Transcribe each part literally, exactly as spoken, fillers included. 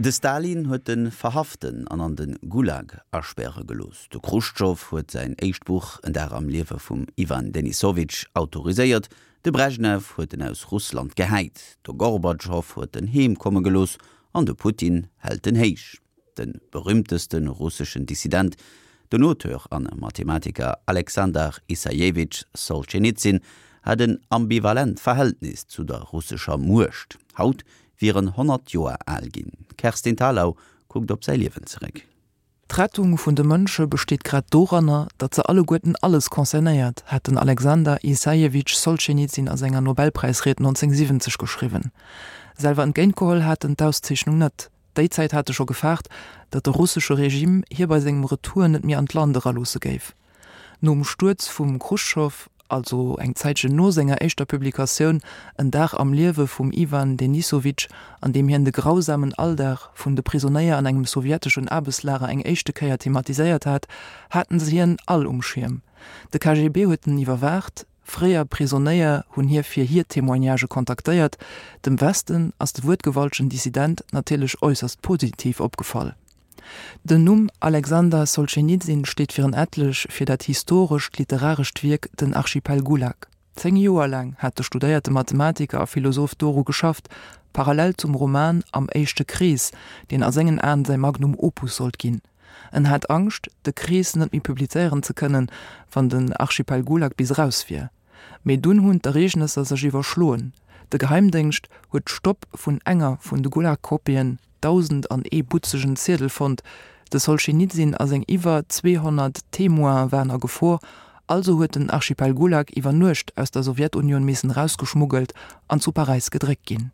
De Stalin huet en verhaften an an de Gulag aspäre gelooss. De Chruschtschow huet säin éischt Buch En Dag am Liewe vum Iwan Denissowitsch autoriséiert. De Breschnew huet en aus Russland gehäit. De Gorbatschow huet en heem komme gelooss an de Putin hält en héich. De berüümteste russeschen Dissident, den Auteur an Mathematiker Alexander Issajewitsch Solschenizyn hat en ambivalent Verhältnis zu der russescher Muecht. Haut wier en honnert Joer al ginn. Kerstin Thalau kuckt op säi Liewen zeréck. D'Rettung vun de Mënsche besteet grad doranner, datt se alleguerten alles concernéiert, hat den Alexander Issajewitsch Solschenizyn a senger Nobelpräisried neunzehnhundertsiwwenzeg geschriwwen. Selwer entgéintgeholl hat en d'Auszeechnung net. Déi Zäit hat e scho gefaart, datt de russesche Regime hie bei sengem Retour net méi an d'Land eraloosse géif. Nom Stuerz vum Chruschtschow, also eng Zäitchen no senger éischter Publikatioun En Dag am Liewe vum Iwan Denissowitsch, an deem hien de grausamen Alldag vun de Prisonéier an engem sowjeteschen Aarbechtslager eng éischte Kéier thematiséiert hat, haten se hien all um Schierm. De K G B huet en iwwerwaacht, fréier Prisonéier hunn hie fir hir Témoignagë kontaktéiert. Dem Westen ass de wuertgewaltegen Dissident natierlech äusserst positiv opgefall. Den Numm Alexander Solschenizyn steet fir en etlech fir dat historescht literarescht Wierk Den Archipel Gulag. Zéng Joer laang hat de studéierte Mathematiker a Philosoph doru geschafft, parallel zum Roman Am éischte Krees, deen a sengen Aen säi Magnum Opus sollt ginn. En hat Angscht, De Krees net méi publizéieren ze kënnen, wann den Archipel Gulag bis eraus wier. Mee dunn hunn d'Ereegnesser sech iwwerschloen. De Geheimdéngscht huet d'Stopp vun enger vun de Gulag-Kopien, dausend an ee butzegen Ziedel fonnt, de Solschenizyn a seng iwwer zweehonnert Témoine waren a Gefor, also huet den Archipel Gulag iwwer Nuecht aus der Sowjetunioun missen erausgeschmuggelt an zu Paräis gedréckt ginn.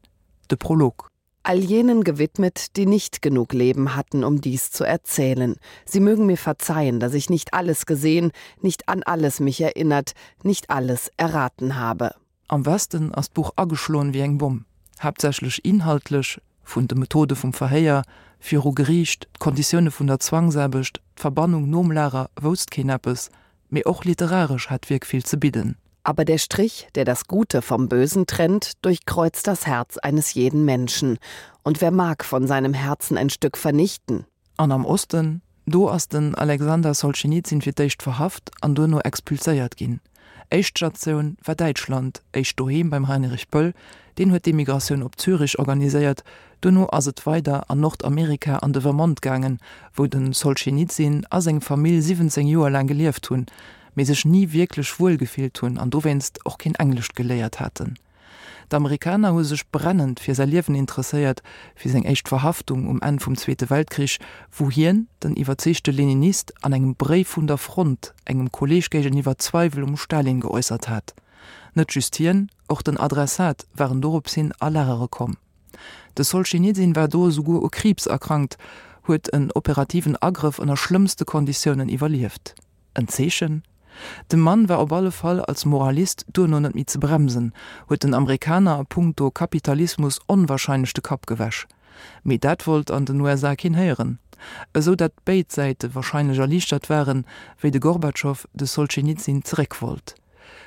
De Prolog. All jenen gewidmet, die nicht genug Leben hatten, um dies zu erzählen. Sie mögen mir verzeihen, dass ich nicht alles gesehen, nicht an alles mich erinnert, nicht alles erraten habe. Am Westen ass d'Buch ageschloen wéi eng Bomm, haaptsächlech inhaltlech, vun de Methode vum Verhéier, viru Geriicht, d'Konditioune vun der Zwangsaarbecht, d'Verbannung nom Lager wousst keen eppes, mee och literaresch hat d'Wierk vill ze bidden. Aber der Strich, der das Gute vom Bösen trennt, durchkreuzt das Herz eines jeden Menschen. Und wer mag von seinem Herzen ein Stück vernichten? An am Osten, do ass den Alexander Solschenizyn fir d'éischt verhaft an duerno expulséiert ginn. Éischt Statioun war Däitschland, éischt doheem beim Heinrich Böll, deen huet d'Emigratioun op Zürich organiséiert, duerno ass et weider an Nordamerika an de Vermont gaangen, wou de Solschenizyn a seng Famill siwwenzéng Joer laang gelieft hunn, mee sech ni wierklech wuel gefillt hunn an dowéinst och keen Englescht geléiert haten. D'Amerikaner hu sech brennend fir säi Liewen interesséiert, fir seng éischt Verhaftung um Enn vum Zweete Weltkrich, wou hien, den iwwerzeegte Leninist, an engem Bréif vun der Front engem Kolleeg géigeniwwer Zweiwel um Stalin geäussert hat. Net just hien, och den Adressat waren dorops hin a Lagere komm. De Solschenizyn war do esouguer u Kriibs erkrankt, huet en operativen Agrëff ënner schlëmmste Konditiounen iwwerlieft. En Zeechen? De Mann war op alle Fall als Moralist duerno net méi ze bremsen, huet den Amerikaner a punkto Kapitalismus onwahrscheinlech de Kapp gewäsch. Mee dat wollt an den U S A keen héieren. Esou dat béid Säite wahrscheinlech erliichtert waren, wéi de Gorbatschow de Solschenizyn zeréck wollt.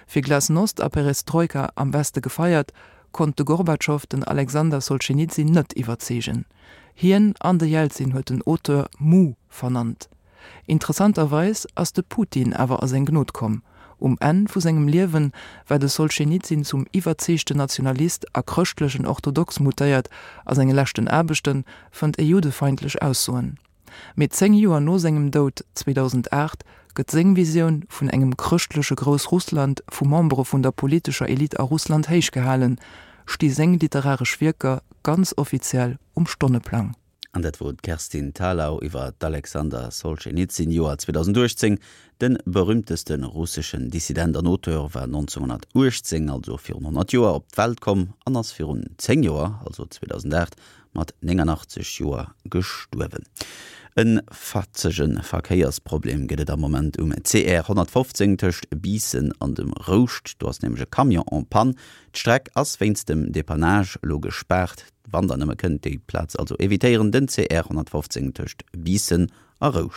Fir Glasnost a Perestroika am Weste gefeiert, konnt de Gorbatschow den Alexander Solschenizyn net iwwerzeegen. Hien an de Jelzin huet den Auteur Mu vernannt. Interessanterweis ass de Putin awer a seng Gnod komm. Um Enn vu sengem Liewen war de Solschenizyn zum iwwerzeegten Nationalist a chrëschtlechen Orthodox mutéiert, a senge leschten Aarbechte fënnt ee juddefeindlech Aussoen. Mee zéng Joer no sengem Doud, zweedausendacht gëtt seng Visioun vun engem chrëschtleche Groussrussland vu Membere vun der politescher Elite a Russland héichgehalen, sti seng literaresch Wierker ganz offiziell um Stonneplang. An dat wor d'Kerstin Thalau iwwer d'Alexander Solschenizyn, Joer zweedausenduechtzéng. De berüümteste russeschen Dissident an Auteur war nonzénghonnertuechtzéng, also virun honnert Joer, op d'Welt komm an ass virun zéng Joer, also zweedausendacht, mat néngannachtzeg Joer gestuerwen. E fatzege Verkéiersproblem gëtt et am Moment um C R honnertfofzéng tëscht Biissen an dem Rouscht. Do ass nämlech e Camion en panne. D'Streck ass wéinst dem Depannage elo gespaart. Wann der nëmme kënnt, déi Plaz also evitéieren, den C R honnertfofzéng tëscht Biissen a Rouscht.